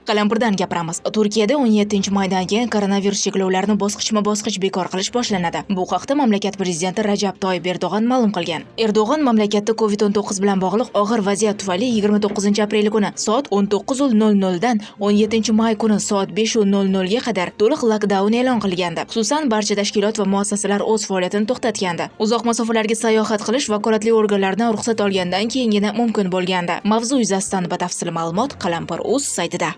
Qalampirdan gapiramiz. Turkiyada 17 maydan keyin koronavirus cheklovlarini bosqichma-bosqich bekor qilish boshlanadi. Bu haqda mamlakat prezidenti Rajab Toyib Erdo'g'on ma'lum qilgan. Erdo'g'on mamlakatda COVID-19 bilan bog'liq og'ir vaziyat tufayli 29 aprel kuni soat 19:00 dan 17 may kuni soat 5:00 ga qadar to'liq lokdaun e'lon qilgandi. Xususan, barcha tashkilot va muassasalar o'z faoliyatini to'xtatgandi. Uzoq masofalarga sayohat qilish vakolatli organlardan ruxsat olgandan keyingina mumkin bo'lgandi. Mavzu yuzasidan batafsil ma'lumot Qalampir.uz saytida.